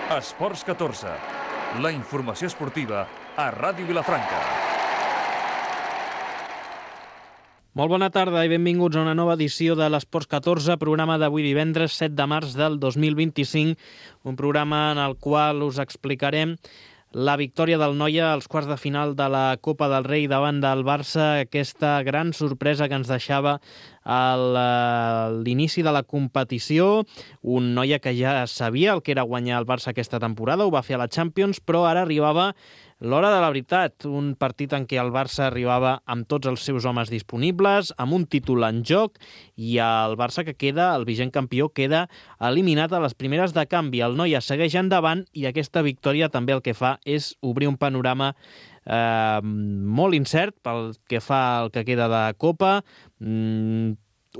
Esports 14, la informació esportiva a Ràdio Vilafranca. Molt bona tarda i benvinguts a una nova edició de l'Esports 14, programa d'avui divendres 7 de març del 2025, un programa en el qual us explicarem la victòria del Noia als quarts de final de la Copa del Rei davant del Barça, aquesta gran sorpresa que ens deixava a l'inici de la competició, un Noia que ja sabia el que era guanyar el Barça aquesta temporada, ho va fer a la Champions, però ara arribava l'hora de la veritat, un partit en què el Barça arribava amb tots els seus homes disponibles, amb un títol en joc, i el Barça que queda, el vigent campió, queda eliminat a les primeres de canvi. El Noia segueix endavant i aquesta victòria també el que fa és obrir un panorama molt incert pel que fa al que queda de Copa,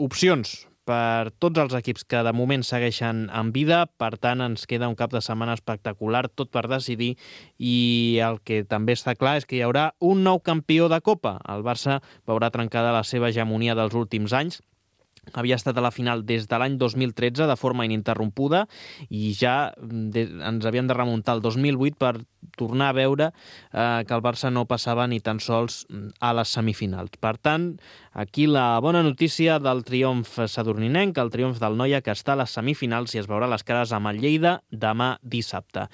opcions per tots els equips que de moment segueixen en vida, per tant ens queda un cap de setmana espectacular, tot per decidir, i el que també està clar és que hi haurà un nou campió de Copa. El Barça veurà trencada la seva hegemonia dels últims anys. Havia estat a la final des de l'any 2013 de forma ininterrompuda i ja ens havíem de remuntar al 2008 per tornar a veure que el Barça no passava ni tan sols a les semifinals. Per tant, aquí la bona notícia del triomf sadurninenc, el triomf del Noia, que està a les semifinals i es veurà les cares amb el Lleida demà dissabte.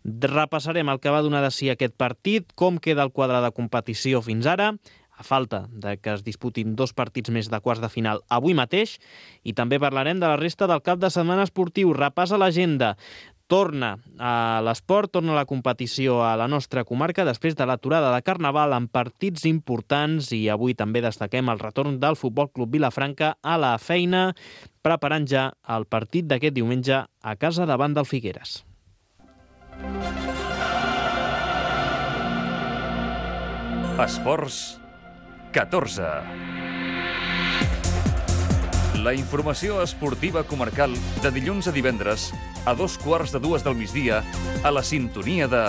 Repassarem el que va donar de si aquest partit, com queda el quadre de competició fins ara, a falta de que es disputin 2 partits més de quarts de final avui mateix, i també parlarem de la resta del cap de setmana esportiu. Repàs a l'agenda. Torna a l'esport, torna a la competició a la nostra comarca després de l'aturada de Carnaval amb partits importants, i avui també destaquem el retorn del Futbol Club Vilafranca a la feina, preparant ja el partit d'aquest diumenge a casa davant del Figueres. Esports 14. La informació esportiva comarcal de dilluns a divendres a 2:15 del migdia a la sintonia de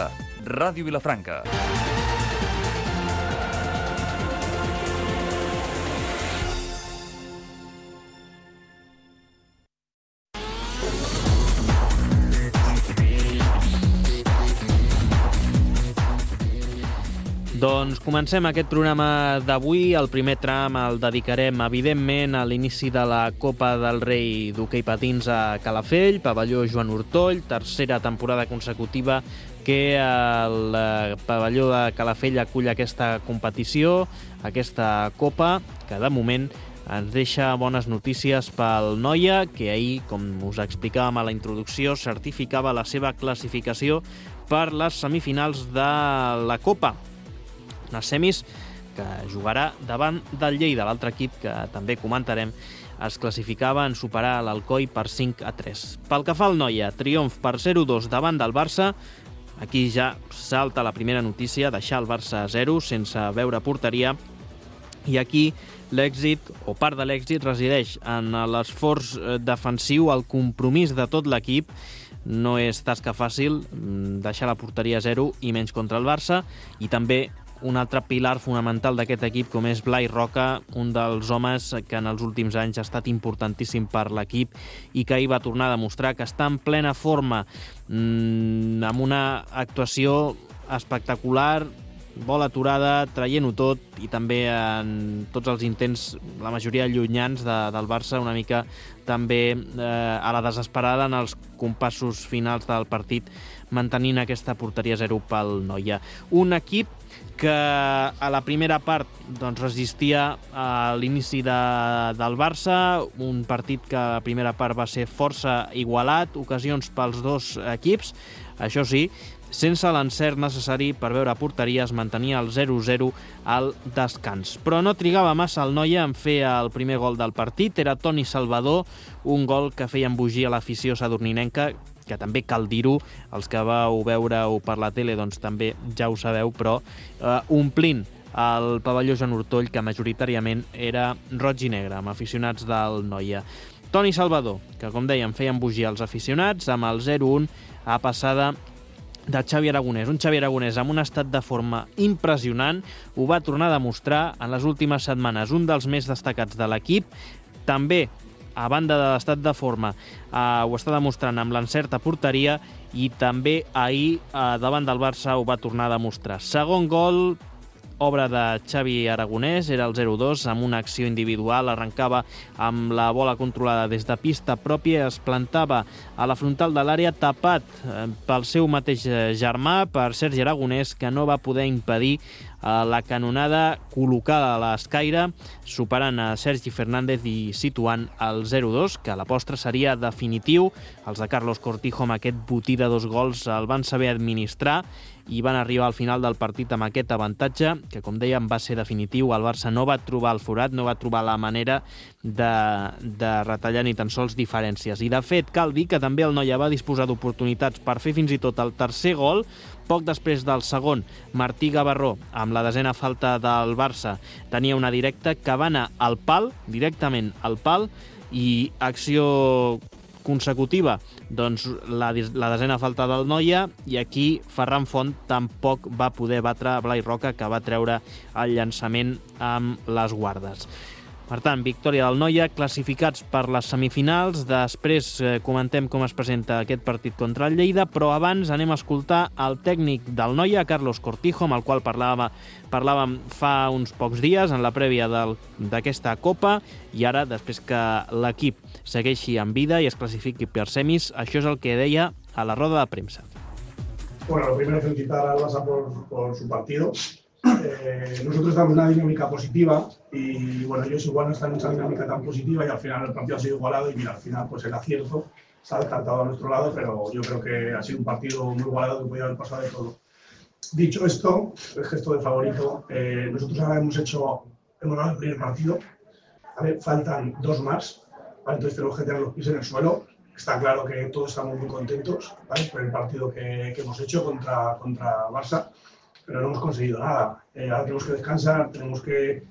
Ràdio Vilafranca. Doncs comencem aquest programa d'avui. El primer tram el dedicarem, evidentment, a l'inici de la Copa del Rei d'hoquei patins a Calafell, pavelló Joan Ortoll, tercera temporada consecutiva que el pavelló de Calafell acull aquesta competició, aquesta Copa, que de moment ens deixa bones notícies pel Noia, que ahir, com us explicàvem a la introducció, certificava la seva classificació per les semifinals de la Copa. Unes semis que jugarà davant del Lleida. L'altre equip, que també comentarem, es classificava en superar l'Alcoi per 5-3. Pel que fa al Noia, triomf per 0-2 davant del Barça. Aquí ja salta la primera notícia, deixar el Barça a 0 sense veure porteria. I aquí l'èxit, o part de l'èxit, resideix en l'esforç defensiu, el compromís de tot l'equip. No és tasca fàcil deixar la porteria a 0 i menys contra el Barça, i també un altre pilar fonamental d'aquest equip, com és Blai Roca, un dels homes que en els últims anys ha estat importantíssim per l'equip i que ahir va tornar a demostrar que està en plena forma, amb una actuació espectacular, bola aturada, traient-ho tot, i també en tots els intents, la majoria llunyans del Barça, una mica també a la desesperada en els compassos finals del partit, mantenint aquesta porteria 0 pel Noia. Un equip que a la primera part doncs, resistia a l'inici del Barça, un partit que a la primera part va ser força igualat, ocasions pels dos equips, això sí, sense l'encert necessari per veure porteria. Es mantenia el 0-0 al descans. Però no trigava massa el Noia en fer el primer gol del partit, era Toni Salvador, un gol que feia embogir a l'afició sadurninenca, que també cal dir-ho, els que vau veure-ho per la tele doncs també ja ho sabeu, però omplint el pavelló Joan Ortoll, que majoritàriament era roig i negre, amb aficionats del Noia. Toni Salvador, que com dèiem feia embogir els aficionats, amb el 0-1 a passada de Xavi Aragonès. Un Xavi Aragonès amb un estat de forma impressionant, ho va tornar a demostrar en les últimes setmanes, un dels més destacats de l'equip. També, a banda de l'estat de forma, ho està demostrant amb l'encert a porteria, i també ahir davant del Barça ho va tornar a demostrar. Segon gol, obra de Xavi Aragonès, era el 0-2 amb una acció individual, arrencava amb la bola controlada des de pista pròpia, es plantava a la frontal de l'àrea tapat pel seu mateix germà, per Sergi Aragonès, que no va poder impedir la canonada col·locada a l'escaire, superant a Sergi Fernández i situant el 0-2, que a la postre seria definitiu. Els de Carlos Cortijo amb aquest botí de 2 gols el van saber administrar i van arribar al final del partit amb aquest avantatge, que com dèiem va ser definitiu. El Barça no va trobar el forat, no va trobar la manera de retallar ni tan sols diferències. I de fet cal dir que també el Noia va disposar d'oportunitats per fer fins i tot el tercer gol. Poc després del segon, Martí Gavarró, amb la 10ª falta del Barça, tenia una directa que va anar al pal, directament al pal, i acció consecutiva, doncs la 10ª falta del Noia, i aquí Ferran Font tampoc va poder batre Blai Roca, que va treure el llançament amb les guardes. Per tant, victòria del Noia, classificats per les semifinals. Després comentem com es presenta aquest partit contra el Lleida, però abans anem a escoltar el tècnic del Noia, Carlos Cortijo, amb el qual parlàvem fa uns pocs dies en la prèvia d'aquesta Copa, i ara, després que l'equip segueixi en vida i es classifiqui per semis, això és el que deia a la roda de premsa. Bueno, lo primero felicitar al Barça por su partido. Nosotros estamos en una dinámica positiva y bueno, ellos igual no están en esa dinámica tan positiva y al final el partido ha sido igualado y mira, al final pues el acierto se ha descartado a nuestro lado, pero yo creo que ha sido un partido muy igualado que podía haber pasado de todo. Dicho esto, el gesto de favorito, nosotros ahora hemos ganado el primer partido, ¿vale? Faltan 2 más, ¿vale? Entonces tenemos que tener los pies en el suelo. Está claro que todos estamos muy contentos, ¿vale? Por el partido que hemos hecho contra Barça, pero no hemos conseguido nada. Ahora tenemos que descansar, tenemos que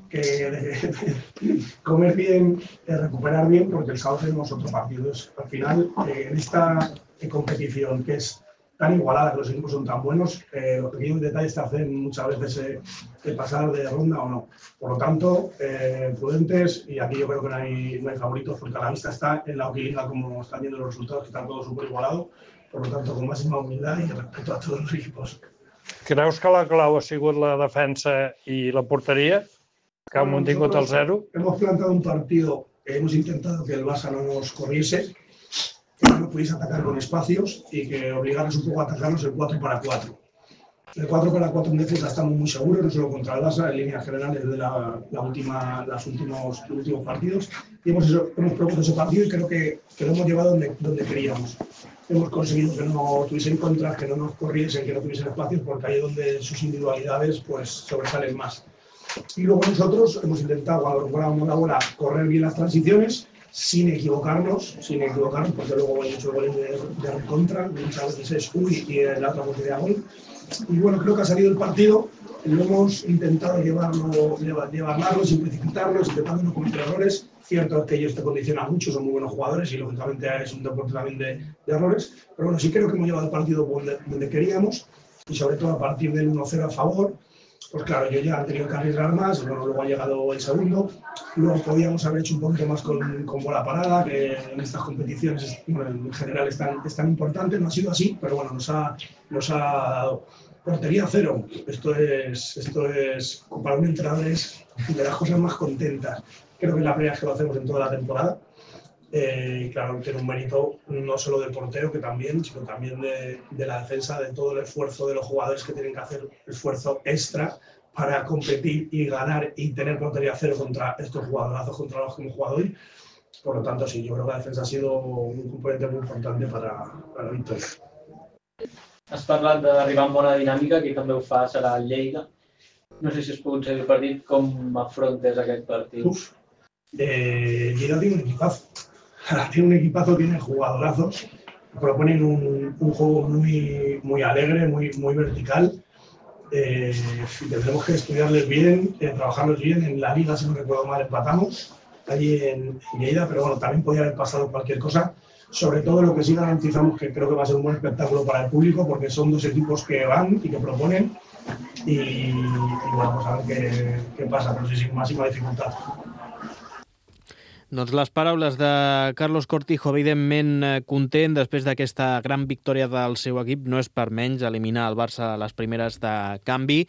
comer bien, recuperar bien, porque el sábado tenemos otro partido. Al final, en esta competición que es tan igualada, que los equipos son tan buenos, los pequeños detalles te hacen muchas veces pasar de ronda o no. Por lo tanto, prudentes, y aquí yo creo que no hay favoritos, porque a la vista está en la Liga, como están viendo los resultados, que están todos súper igualados. Por lo tanto, con máxima humildad y respeto a todos los equipos. Creus que la clau ha sigut la defensa i la porteria, que han mantingut el 0? Hemos plantado un partido, hemos intentado que el Barça no nos corriese, que no pudiese atacar con espacios y que obligaras un poco a atacarnos el 4-4. El 4-4 en defensa estamos muy seguros, no solo contra el Barça, en líneas generales de los últimos partidos. Y hemos propuesto ese partido y creo que lo hemos llevado donde queríamos. Hemos conseguido que no tuviesen contras, que no nos corriesen, que no tuviesen espacios, porque ahí es donde sus individualidades pues sobresalen más. Y luego nosotros hemos intentado, cuando recuperábamos la bola, correr bien las transiciones, sin equivocarnos, porque luego hay muchos goles de recontra, muchas veces es uy y la otra portería gol. Y bueno, creo que ha salido el partido, lo hemos intentado llevarlo sin precipitarnos, intentando no cometer errores. Cierto es que ellos te condicionan mucho, son muy buenos jugadores y lógicamente es un deporte también de errores, pero bueno, sí creo que hemos llevado el partido donde queríamos y sobre todo a partir del 1-0 a favor. Pues claro, yo ya he tenido que arriesgar más, bueno, luego ha llegado el segundo, luego podíamos haber hecho un poquito más con bola parada, que en estas competiciones bueno, en general es tan importante, no ha sido así, pero bueno, nos ha dado. Portería 0, esto es para un entrenador es de las cosas más contentas. Creo que es la primera vez que lo hacemos en toda la temporada. Claro, tiene un mérito no solo del portero, que también, sino también de la defensa, de todo el esfuerzo de los jugadores que tienen que hacer esfuerzo extra para competir y ganar y tener portería 0 contra estos jugadorazos contra los que hemos jugado hoy. Por lo tanto, sí, yo creo que la defensa ha sido un componente muy importante para la victoria. Has parlat d'arribar en bona dinàmica, qui també ho fa serà el Lleida. No sé si has pogut seguir el partit, com afrontes aquest partit? Lleida tiene un equipazo. Tiene jugadorazos, proponen un juego muy alegre, muy vertical. Tendremos que estudiarles bien, trabajarlos bien. En la Liga, si no recuerdo mal, empatamos allí en Lleida, pero bueno, también podía haber pasado cualquier cosa. Sobre todo lo que sí garantizamos que creo que va a ser un buen espectáculo para el público, porque son dos equipos que van y que proponen y bueno, vamos a ver qué pasa, pero sí, sin máxima dificultad. Doncs les paraules de Carlos Cortijo, evidentment content després d'aquesta gran victòria del seu equip. No és per menys eliminar el Barça a les primeres de canvi.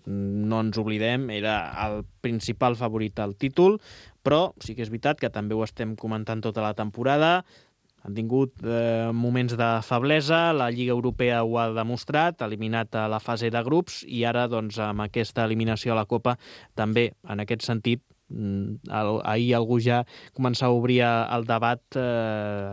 No ens oblidem, era el principal favorit al títol, però sí que és veritat que també ho estem comentant tota la temporada. Han tingut moments de feblesa, la Lliga Europea ho ha demostrat, eliminat a la fase de grups, i ara doncs, amb aquesta eliminació a la Copa també, en aquest sentit, ahir algú ja començava a obrir el debat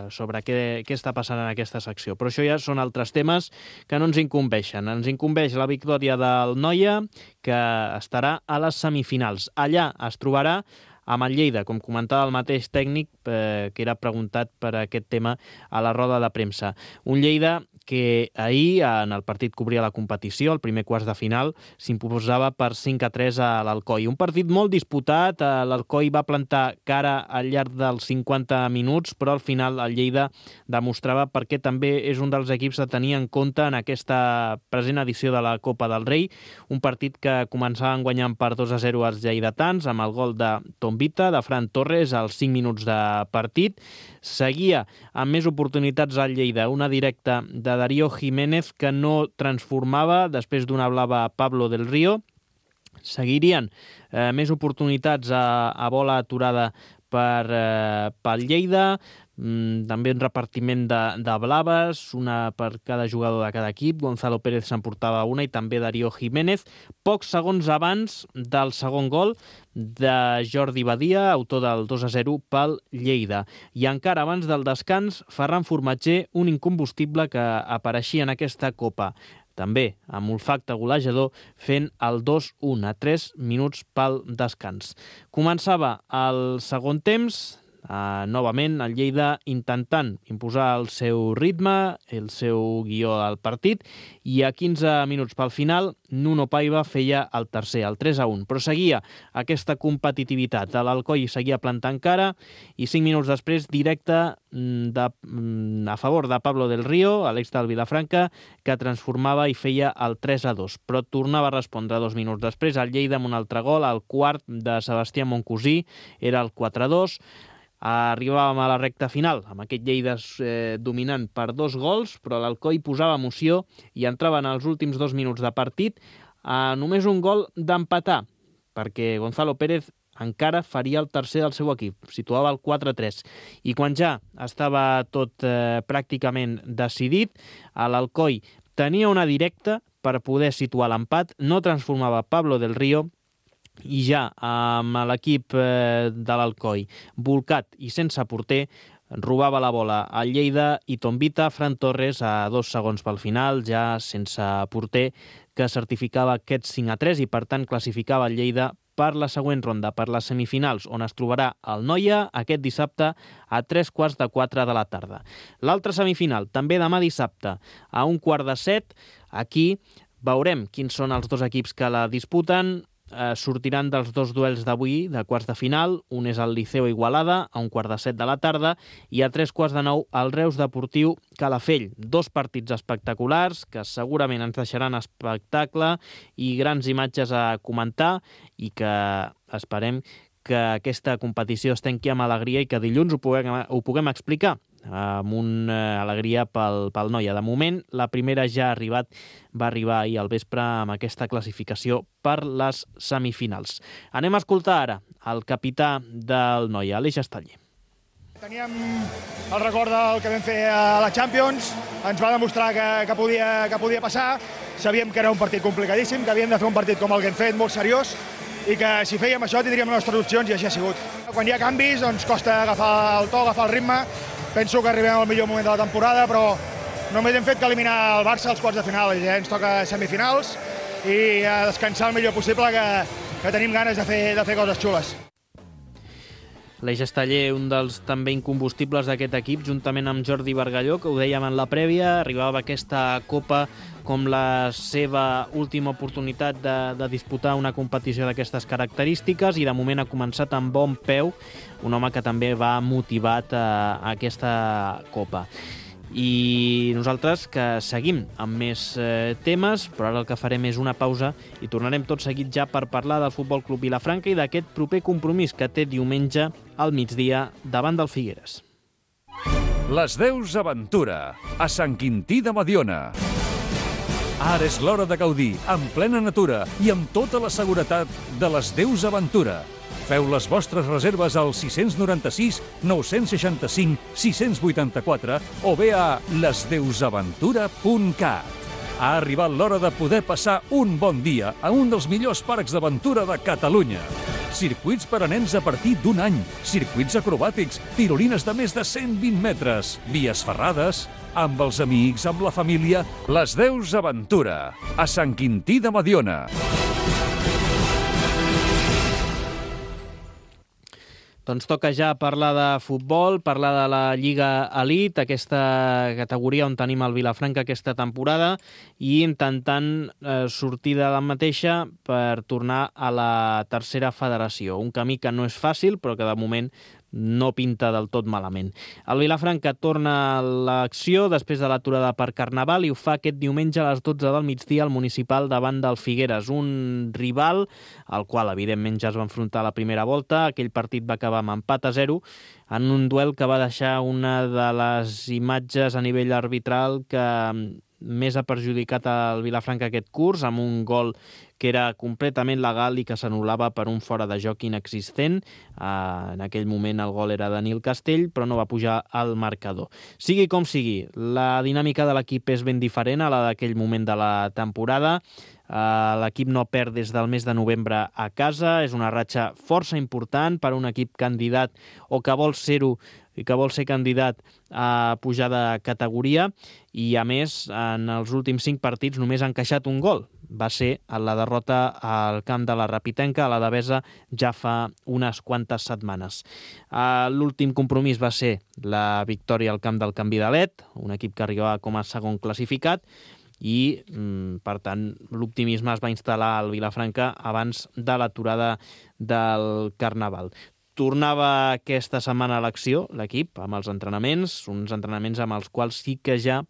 sobre què està passant en aquesta secció. Però això ja són altres temes que no ens incumbeixen. Ens incumbeix la victòria del Noia, que estarà a les semifinals. Allà es trobarà amb el Lleida, com comentava el mateix tècnic, que era preguntat per aquest tema a la roda de premsa. Un Lleida que ahir, en el partit que obria la competició, el primer quarts de final, s'imposava per 5-3 a l'Alcoi. Un partit molt disputat, l'Alcoi va plantar cara al llarg dels 50 minuts, però al final el Lleida demostrava perquè també és un dels equips a tenir en compte en aquesta present edició de la Copa del Rei, un partit que començaven guanyant per 2-0 els lleidatans, amb el gol de Tombita, de Fran Torres, als 5 minuts de partit. Seguia amb més oportunitats al Lleida, una directa de Darío Jiménez que no transformava després d'una blava a Pablo del Río. Seguirien més oportunitats a bola aturada pel Lleida, també un repartiment de blaves, una per cada jugador de cada equip. Gonzalo Pérez s'emportava una i també Darío Jiménez. Pocs segons abans del segon gol de Jordi Badia, autor del 2-0 pel Lleida. I encara abans del descans, Ferran Formatger, un incombustible que apareixia en aquesta Copa, també amb olfacte golejador, fent el 2-1 a 3 minuts pel descans. Començava el segon temps, novament el Lleida intentant imposar el seu ritme, el seu guió al partit, i a 15 minuts pel final Nuno Paiva feia el tercer, el 3-1, però seguia aquesta competitivitat. L'Alcoi seguia plantant cara i 5 minuts després directe a favor de Pablo del Río, a l'ex del Vilafranca, que transformava i feia el 3-2, però tornava a respondre 2 minuts després el Lleida amb un altre gol, el quart de Sebastià Moncosí, era el 4-2. Arribàvem a la recta final, amb aquest Lleida dominant per 2 gols, però l'Alcoi posava emoció i entrava en els últims 2 minuts de partit a només un gol d'empatar, perquè Gonzalo Pérez encara faria el tercer del seu equip, situava el 4-3. I quan ja estava tot pràcticament decidit, l'Alcoi tenia una directa per poder situar l'empat, no transformava Pablo del Río, i ja amb l'equip de l'Alcoi volcat i sense porter, robava la bola al Lleida i Tombita, Fran Torres, a 2 segons pel final, ja sense porter, que certificava aquest 5-3 i per tant classificava el Lleida per la següent ronda, per les semifinals, on es trobarà el Noia aquest dissabte a 3:45 de la tarda. L'altra semifinal, també demà dissabte, a 1:15. Aquí veurem quins són els dos equips que la disputen. Sortiran dels 2 duels d'avui, de quarts de final. Un és el Liceo Igualada, a 1:15 de la tarda, i a 3:15 el Reus Deportiu Calafell. 2 partits espectaculars que segurament ens deixaran espectacle i grans imatges a comentar, i que esperem que aquesta competició es tanqui amb alegria i que dilluns ho puguem explicar amb una alegria pel Noia. De moment, la primera ja va arribar ahir al vespre amb aquesta classificació per les semifinals. Anem a escoltar ara el capità del Noia, Aleix Estaller. Teníem el record del que vam fer a la Champions, ens va demostrar que podia passar, sabíem que era un partit complicadíssim, que havíem de fer un partit com el que hem fet, molt seriós, i que si fèiem això tindríem les nostres opcions, i així ha sigut. Quan hi ha canvis, doncs costa agafar el to, agafar el ritme. Penso que arribem al millor moment de la temporada, però només hem fet que eliminar el Barça als quarts de final, ja ens toca semifinals, i a descansar el millor possible, que tenim ganes de fer coses xules. Aleix Estaller, un dels també incombustibles d'aquest equip, juntament amb Jordi Bargalló, que ho dèiem en la prèvia, arribava a aquesta Copa com la seva última oportunitat de disputar una competició d'aquestes característiques, i de moment ha començat amb bon peu, un home que també va motivat a aquesta Copa. I nosaltres que seguim amb més temes, però ara el que farem és una pausa i tornarem tot seguit ja per parlar del Futbol Club Vilafranca i d'aquest proper compromís que té diumenge al migdia davant del Figueres. Les Deus Aventura, a Sant Quintí de Mediona. Ara és l'hora de gaudir, en plena natura i amb tota la seguretat de les Deus Aventura. Feu les vostres reserves al 696 965 684 o bé a lesdeusaventura.cat. Ha arribat l'hora de poder passar un bon dia a un dels millors parcs d'aventura de Catalunya. Circuits per a nens a partir d'un any, circuits acrobàtics, tirolines de més de 120 metres, vies ferrades, amb els amics, amb la família. Les Deus Aventura, a Sant Quintí de Mediona. Doncs toca ja parlar de futbol, parlar de la Lliga Elite, aquesta categoria on tenim el Vilafranca aquesta temporada, i intentant sortir de la mateixa per tornar a la tercera federació. Un camí que no és fàcil, però que de moment no pinta del tot malament. El Vilafranca torna a l'acció després de l'aturada per Carnaval i ho fa aquest diumenge a les 12 del migdia al Municipal davant del Figueres, un rival al qual evidentment ja es va enfrontar a la primera volta. Aquell partit va acabar amb empat a 0 en un duel que va deixar una de les imatges a nivell arbitral que més ha perjudicat el Vilafranca aquest curs, amb un gol que era completament legal i que s'anul·lava per un fora de joc inexistent. En aquell moment el gol era de Nil Castell, però no va pujar al marcador. Sigui com sigui, la dinàmica de l'equip és ben diferent a la d'aquell moment de la temporada. L'equip no perd des del mes de novembre a casa. És una ratxa força important per a un equip candidat o que vol ser-ho i que vol ser candidat a pujar de categoria, i a més en els últims 5 partits només ha encaixat un gol. Va ser la derrota al camp de la Rapitenca, a la Devesa, ja fa unes quantes setmanes. L'últim compromís va ser la victòria al camp del Canvidalet, un equip que arribava com a segon classificat, i per tant l'optimisme es va instal·lar al Vilafranca abans de l'aturada del Carnaval. Tornava aquesta setmana a l'acció l'equip amb els entrenaments, uns entrenaments amb els quals sí que ja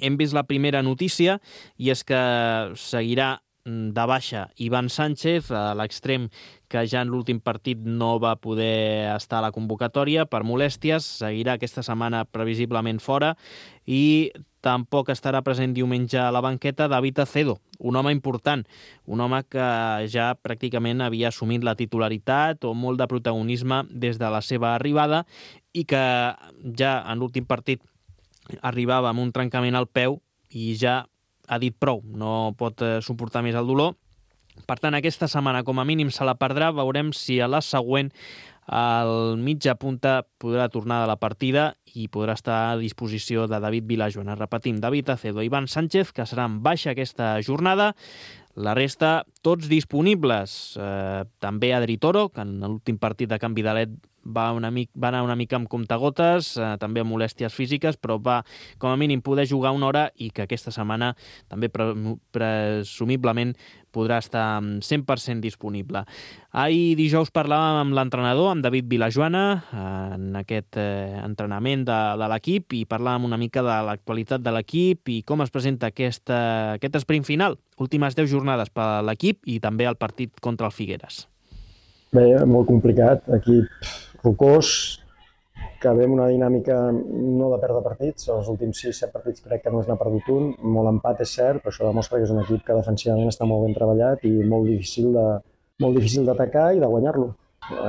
hem vist la primera notícia, i és que seguirà de baixa Ivan Sánchez, l'extrem que ja en l'últim partit no va poder estar a la convocatòria per molèsties. Seguirà aquesta setmana previsiblement fora, i tampoc estarà present diumenge a la banqueta David Acedo, un home important, un home que ja pràcticament havia assumit la titularitat o molt de protagonisme des de la seva arribada, i que ja en l'últim partit arribava amb un trencament al peu i ja ha dit prou, no pot suportar més el dolor. Per tant, aquesta setmana com a mínim se la perdrà. Veurem si a la següent el mitja punta podrà tornar de la partida i podrà estar a disposició de David Vilajoana. Repetim, David Acedo i Ivan Sánchez, que seran baixa aquesta jornada. La resta, tots disponibles. També Adri Toro, que en l'últim partit de Canvidalet va anar una mica amb comptagotes, també amb molèsties físiques, però va com a mínim poder jugar una hora, i que aquesta setmana també presumiblement podrà estar 100% disponible. Ahir dijous parlàvem amb l'entrenador, amb David Vilajoana, en aquest entrenament de l'equip, i parlàvem una mica de l'actualitat de l'equip i com es presenta aquest esprint final. Últimes 10 jornades per a l'equip i també el partit contra el Figueres. Bé, molt complicat. Equip rocós, que ve amb una dinàmica no de perdre partits. Els últims 6-7 partits crec que no n'ha perdut un. Molt empat, és cert, però això demostra que és un equip que defensivament està molt ben treballat i molt difícil d'atacar i de guanyar-lo.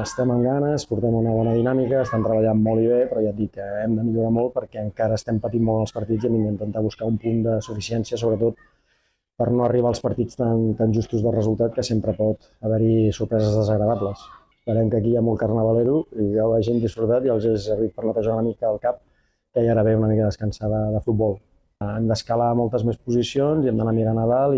Estem amb ganes, portem una bona dinàmica, estem treballant molt i bé, però ja et dic que hem de millorar molt perquè encara estem patint molt els partits i hem d'intentar buscar un punt de suficiència, sobretot per no arribar als partits tan justos de resultat, que sempre pot haver-hi sorpreses desagradables. Esperem que aquí hi ha molt carnavalero i ja ho hagin disfrutat i els he servit per netejar una mica el cap, que ja era bé una mica descansada de futbol. Hem d'escalar moltes més posicions i hem d'anar mirant a dalt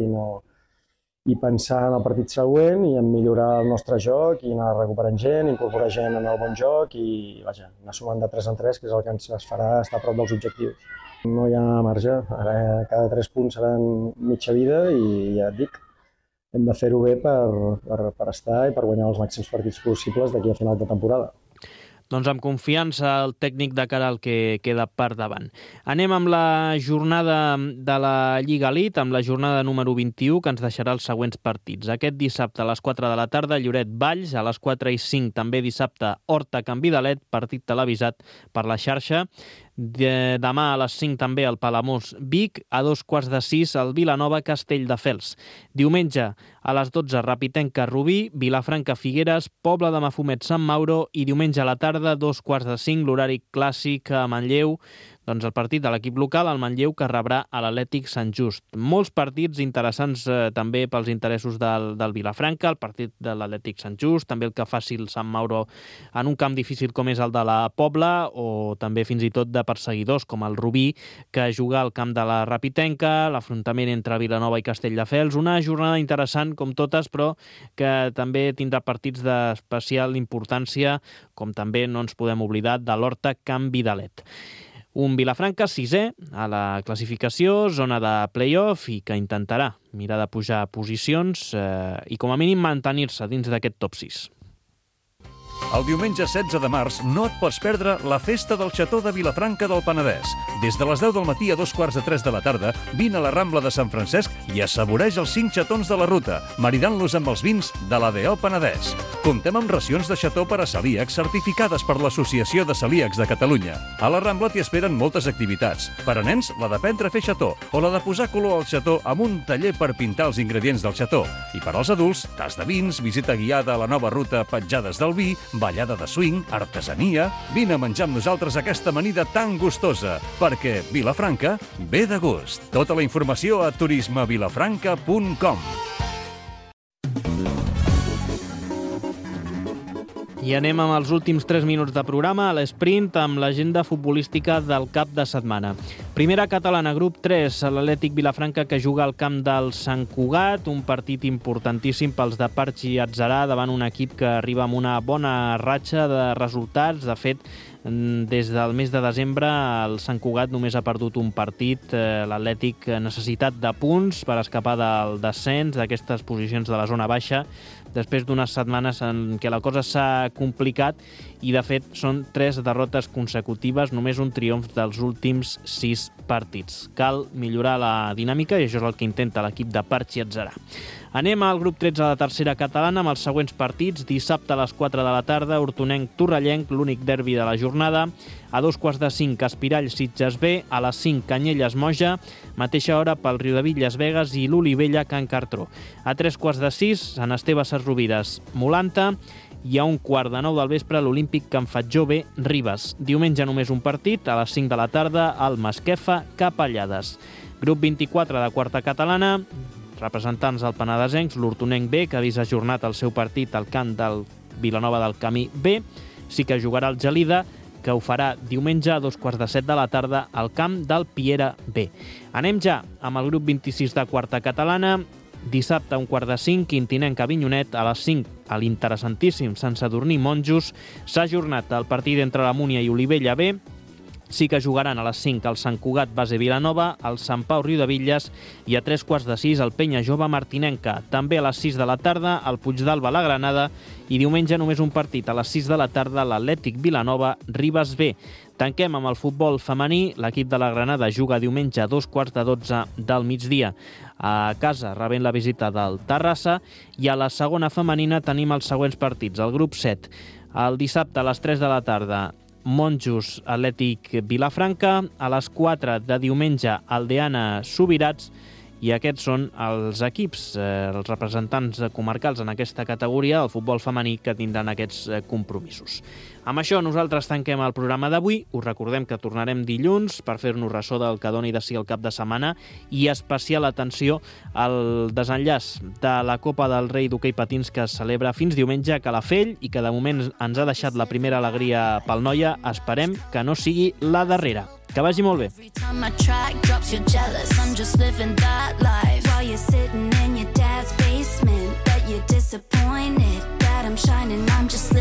i pensar en el partit següent i en millorar el nostre joc i anar recuperant gent, incorporar gent en el bon joc i vaja, anar sumant de 3 en 3, que és el que ens farà estar a prop dels objectius. No hi ha marge, ara cada 3 punts seran mitja vida i ja et dic, hem de fer-ho bé per estar i per guanyar els màxims partits possibles d'aquí a final de temporada. Doncs amb confiança el tècnic de cara al que queda per davant. Anem amb la jornada de la Lliga Elite, amb la jornada número 21, que ens deixarà els següents partits. Aquest dissabte a les 4 de la tarda, Lloret-Valls, a les 4:05 també dissabte, Horta-Can Vidalet, partit televisat per la xarxa. Demà a les 5 també el Palamós-Vic, a 5:15 el Vilanova-Castelldefels. Diumenge a les 12 Rapitenca-Rubí, Vilafranca-Figueres, Pobla de Mafumet-Sant Mauro i diumenge a la tarda 2:45 l'horari clàssic a Manlleu, doncs el partit de l'equip local, el Manlleu, que rebrà a l'Atlètic Sant Just. Molts partits interessants també pels interessos del Vilafranca, el partit de l'Atlètic Sant Just, també el que faci el Sant Mauro en un camp difícil com és el de la Pobla, o també fins i tot de perseguidors com el Rubí, que juga al camp de la Rapitenca, l'afrontament entre Vilanova i Castelldefels. Una jornada interessant com totes, però que també tindrà partits d'especial importància, com també no ens podem oblidar de l'Horta-Can Vidalet. Un Vilafranca 6è a la classificació, zona de play-off, i que intentarà mirar de pujar posicions i com a mínim mantenir-se dins d'aquest top 6. El diumenge 16 de març no et pots perdre la Festa del Xató de Vilafranca del Penedès. Des de les 10 del matí a 2:45 de la tarda, vine a la Rambla de Sant Francesc i assaboreix els 5 xatons de la ruta, maridant-los amb els vins de l'ADO Penedès. Comptem amb racions de xató per a celíacs certificades per l'Associació de Celíacs de Catalunya. A la Rambla t'hi esperen moltes activitats. Per a nens, la d'aprendre a fer xató o la de posar color al xató amb un taller per pintar els ingredients del xató. I per als adults, tas de vins, visita guiada a la nova ruta Petjades del Vi, ballada de swing, artesania. Vine a menjar amb nosaltres aquesta amanida tan gustosa, perquè Vilafranca ve de gust. Tota la informació a turismevilafranca.com. I anem amb els últims 3 minuts de programa a l'esprint amb l'agenda futbolística del cap de setmana. Primera catalana, grup 3, l'Atlètic Vilafranca, que juga al camp del Sant Cugat, un partit importantíssim pels de Parchi Atzarà davant un equip que arriba amb una bona ratxa de resultats. De fet, des del mes de desembre el Sant Cugat només ha perdut un partit. L'Atlètic necessitat de punts per escapar del descens, d'aquestes posicions de la zona baixa, després d'unes setmanes en què la cosa s'ha complicat i, de fet, són 3 derrotes consecutives, només un triomf dels últims 6 partits. Cal millorar la dinàmica i això és el que intenta l'equip de Parchi Atzarà. Anem al grup 13 de la tercera catalana amb els següents partits. Dissabte a les 4 de la tarda, Hortonenc-Torrellenc, l'únic derbi de la jornada. A 2:45, Espirall-Sitges B. A les 5, Canyelles-Moja. Mateixa hora pel Riudebitlles-Begues i l'Olivella-Can Cartró. A 3:15, Sant Esteve-Sesrovires, Molanta. I a 1:15 del vespre, l'Olímpic Can Fatjó B, Ribes. Diumenge només un partit, a les 5 de la tarda, al Masquefa, Capellades. Grup 24 de quarta catalana, representants del penedesencs, l'Hortonenc B, que ha vist ajornat el seu partit al camp del Vilanova del Camí B. Sí que jugarà el Gelida, que ho farà diumenge a 2:15 de la tarda al camp del Piera B. Anem ja amb el grup 26 de quarta catalana. Dissabte a 4:45, Quintinenc-Avinyonet, a les 5 a l'interessantíssim Sant Sadurní-Monjos. S'ha ajornat el partit entre la Múnia i Olivella B. Sí que jugaran a les 5 el Sant Cugat base Vilanova, el Sant Pau Riudebitlles i a 3:15 el Penya Jove Martinenca. També a les 6 de la tarda el Puigdàlber la Granada i diumenge només un partit a les 6 de la tarda l'Atlètic Vilanova Ribes B. Tanquem amb el futbol femení. L'equip de la Granada juga diumenge a 2:15 del migdia a casa, rebent la visita del Terrassa, i a la segona femenina tenim els següents partits. El grup 7, el dissabte a les 3 de la tarda, Monjos Atlètic Vilafranca, a les 4 de diumenge Aldeana Subirats, i aquests són els equips, els representants comarcals en aquesta categoria del futbol femení que tindran aquests compromisos. Amb això nosaltres tanquem el programa d'avui. Us recordem que tornarem dilluns per fer-nos ressò del que doni de si el cap de setmana i especial atenció al desenllaç de la Copa del Rei d'hoquei patins que es celebra fins diumenge a Calafell i que de moment ens ha deixat la primera alegria pel Noia. Esperem que no sigui la darrera. Que vagi molt bé. I'm shining, I'm just